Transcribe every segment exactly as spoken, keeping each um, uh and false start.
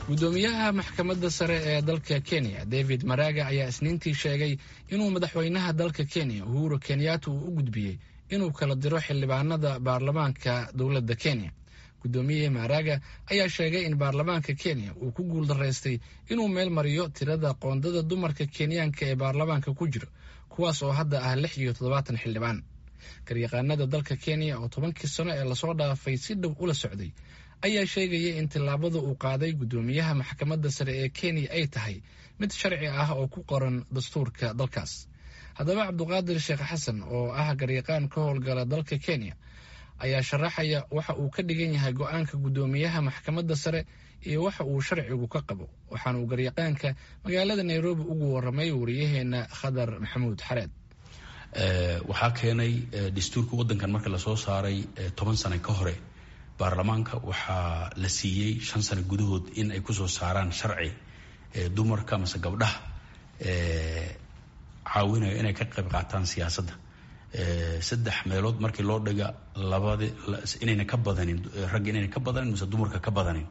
Gudoomiyaha maxkamadda sare ee dalka Kenya, David Maraga, ayaa Isniintii sheegay inuu madaxweynaha dalka Kenya, Uhuru Kenyatta, uu u gudbiyey inuu kala diro xildhibaanada baarlamaanka dowladda Kenya. Gudoomiye Maraga ayaa sheegay in baarlamaanka Kenya uu ku guuldaraystay inuu meel mariyo tirada qoondada dumarka Kenyaanka ee baarlamaanka ku jiro, kuwaas oo hadda ah lix iyo toddobaatan xildhibaan. Garyaqaanada dalka Kenya oo tobankii sano ee lasoo dhaafay si dhow ula socday ayaa sheegaya in tillaabada uu qaaday gudoomiyaha maxkamadda sare ee Kenya ay tahay mid sharci ah oo ku qoran dastuurka dalkaas. Haddaba, Cabduqaadir Sheekh Xasan oo ah garyaqaan ka howlgala dalka Kenya ayaa sharaxaya waxa uu ka dhigan yahay go-aanka gudoomiyaha maxkamadda sare iyo waxa uu sharcigu ka qabo. Waxaana uu garyaqaanka magaalada Nairobi ugu waramay wariyaheena Khadar Maxamuud Xareed. Waxaa keenay dastuurka waddankan marka lasoo saaray toban sano ka hore, baarlamaanka waxaa la siiyey shan sano gudahood in ay kusoo saaraan sharci dumarka mase gabdhaha caawinayo inay ka qayb qaataan siyaasadda, saddex meelood markii loo dhiga labadi inayna ka badanin ragga, inayna ka badanin mase dumarka ka badanin.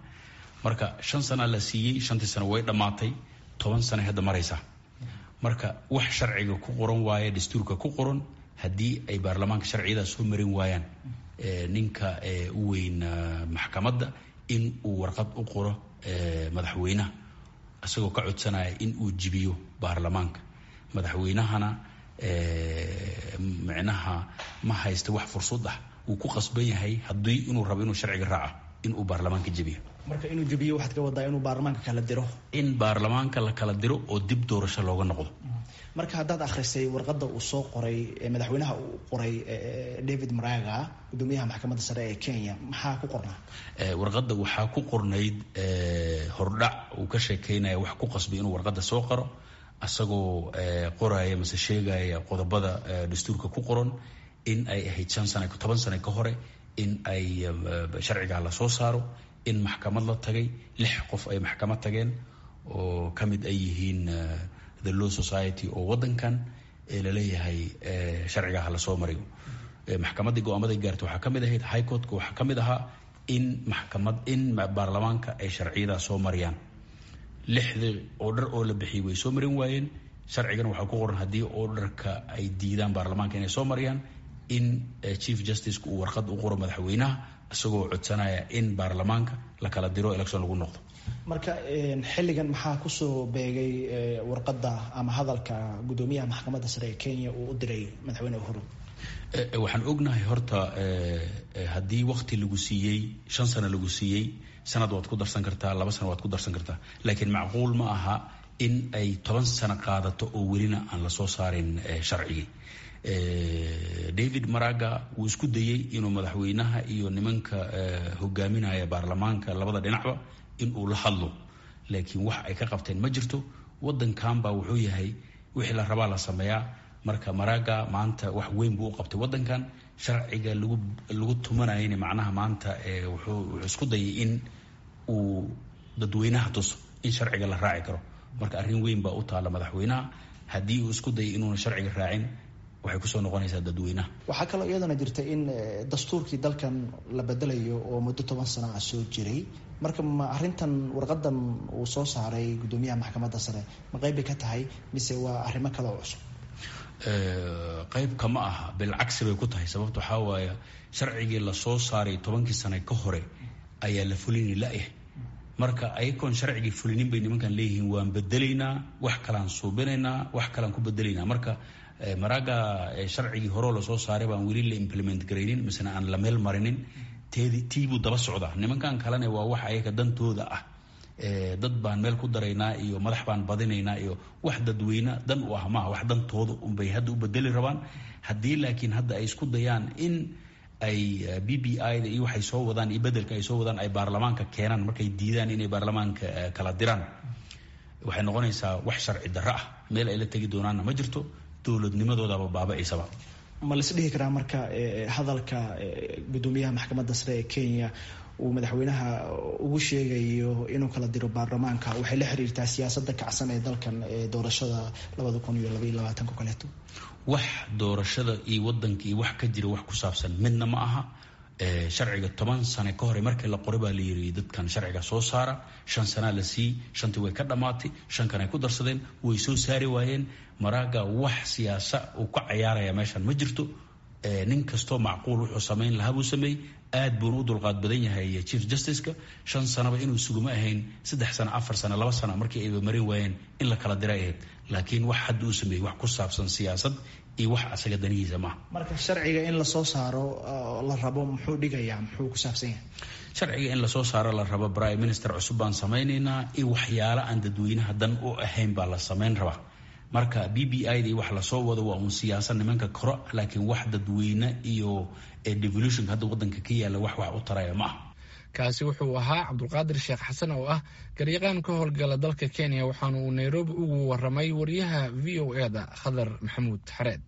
Marka shan sana la siiyey, shantii sano way dhammaatay, toban sana hadda maraysaa. Marka wax sharciga ku qoran waaye, dastuurka ku qoran, haddii ay baarlamaanka sharciyadaas soo marin waayaan, ninka u weyn maxkamadda in uu warqad u qoro madaxweynaha isagoo ka codsanaya in uu jibiyo baarlamaanka. Madaxweynahana micnaha ma haysta wax fursad ah, wuu ku qasban yahay haddii inuu rabo inuu sharciga raaco in uu baarlamaanka jebiyo. Marka inuu jebiyo waxaad ka wadaa inuu baarlamaanka kala diro? In baarlamaanka la kala diro oo dib doorasho looga noqdo. Marka haddaad akhrisay warqadda uu soo qoray madaxweynaha uu qoray David Maraga, gudoomiyaha maxkamadda sare ee Kenya, maxaa ku qornaa? Warqadda waxaa ku qornayd hordhac uu ka sheekeynaya wax ku qasbay inuu warqadda soo qoro, asagoo qoraya mase sheegaya qodobada dastuurka ku qoran in ay ahayd shan sana, toban sano ka hore in ay sharcigaa lasoo saaro, in maxkamad la tagay, lix qof ay maxkamad tageen oo ka mid ay yihiin the Law Society oo waddankan ee laleeyahay sharcigaa ha lasoo mariyo. Maxkamaddii go-aamaday gaartay waxaa ka mid ahayd, High Courtka waxaa ka mid ahaa in maxkamad in baarlamaanka ay sharciyadaa soo mariyaan. Lixdii order oo la bixiyey way soo marin waayeen. Sharcigana waxaa ku qoran haddii orderka ay diidaan baarlamaanka inay soo mariyaan, in Chief Justice uu warqad u qoro madaxweynaha isagoo codsanaya in baarlamaanka la kala diro, election lagu noqdo. Marka xilligan maxaa kusoo beegay warqadda ama hadalka gudoomiyaha maxkamadda sare ee Kenya uu u diray madaxweyne Uhuru? Waxaan ognahay horta haddii wakti lagu siiyey, shan sano lagu siiyey, sanad waad ku darsan kartaa, laba sano waad ku darsan kartaa, laakiin macquul ma aha in ay toban sano qaadato oo welina aan lasoo saarin sharcigii. David Maraga wuu isku dayey inuu madaxweynaha iyo nimanka hogaaminaya baarlamaanka labada dhinacba in uu la hadlo, laakiin wax ay ka qabteen ma jirto. Wadankan baa wuxuu yahay wixii la rabaa la sameeyaa. Marka Maraga maanta wax weyn buu u qabtay wadankan, sharciga lagu lagu tumanayana macnaha maanta wuxuu wuxuu isku dayay in uu dadweynaha tuso in sharciga la raaci karo. Marka arrin weyn baa u taalla madaxweynaha. Haddii uu isku dayay inuuna sharciga raacin, waxay kusoo noqonaysaa dadweynaha. Waxaa kaloo iyadana jirta in dastuurkii dalkan la bedelayo oo muddo toban sano ah soo jiray. Marka ma arrintan warqadan uu soo saaray gudoomiyaha maxkamadda sare ma qayb bay ka tahay mise waa arrimo kale oo cusub? Qayb kama aha, bilcagsi bay ku tahay. Sababta waxaa waaye sharcigii lasoo saaray tobankii sane ka hore ayaa la fulini la-yahay. Marka ayagoon sharcigii fulinin bay nimankan leeyihiin waan bedelaynaa, wax kalaan suubinaynaa, wax kalaan ku bedelaynaa. Marka Maraga sharcigii horeo lasoo saaray baan weli la implement garaynin misena aan la meel marinin, teedi tiibuu daba socdaa. Nimankan kalena waa wax ayaga dantooda ah, dad baan meel ku daraynaa iyo madax baan badinaynaa iyo wax dadweyne dan u ah maaha, wax dantooda unbay hadda u bedeli rabaan. Haddii laakiin hadda ay isku dayaan in ay B B I da iyo waxay soo wadaan iyo bedelka ay soo wadaan ay baarlamaanka keenaan, markay diidaan inay baarlamaanka kala diraan, waxay noqonaysaa wax sharci darro ah. Meel ay la tegi doonaanna ma jirto, dowladnimadoodaba baaba-aysaba. Ma lais dhihi karaa marka hadalka gudoomiyaha maxkamadda sare ee Kenya uu madaxweynaha ugu sheegayo inuu kala diro baarlamaanka waxay la xiriirtaa siyaasadda kacsan ee dalkan ee doorashada labada kun iyo labaiyo labaatanka kaleeto? Wax doorashada iyo wadanka iyo wax ka jira wax ku saabsan midna ma aha. Sharciga toban sane ka hore markii la qoray baa la yiri dadkan sharciga soo saara, shan sanaa la siiyey, shantii way ka dhammaatay, shan kan ay ku darsadeen, way soo saari waayeen. Maraga wax siyaasa uu ka cayaaraya meeshan ma jirto. Nin kastoo macquul wuxuu samayn lahaa buu sameeyey. Aad buuna u dulqaad badan yahay chief justiceka. Shan sanaba inuu suguma ahayn, saddex sano, afar sano, laba sano markii ayba marin waayeen in la kala diray ahayd. Laakiin wax hadda uu sameeyey wax ku saabsan siyaasad iyo wax asaga danihiisa maaha. Marka sharciga in lasoo saaro la rabo muxuu dhigayaa, muxuu ku saabsan yahay? Sharciga in lasoo saaro la rabo, prime minister cusub baan samaynaynaa iyo waxyaalo aan dadweynaha dan u ahayn baa la samayn rabaa. Marka B B I da wax lasoo wado waa uun siyaasad nimanka koro, laakiin wax dadweyne iyo devolutionka hadda wadanka ka yaalla wax wax u taraya ma aha. Kaasi wuxuu ahaa Cabdulqaadir Sheekh Xasan oo ah garyaqaan ka howlgala dalka Kenya, waxaana uu Nairobi ugu waramay wariyaha V O E da Khadar Maxamuud Xareed.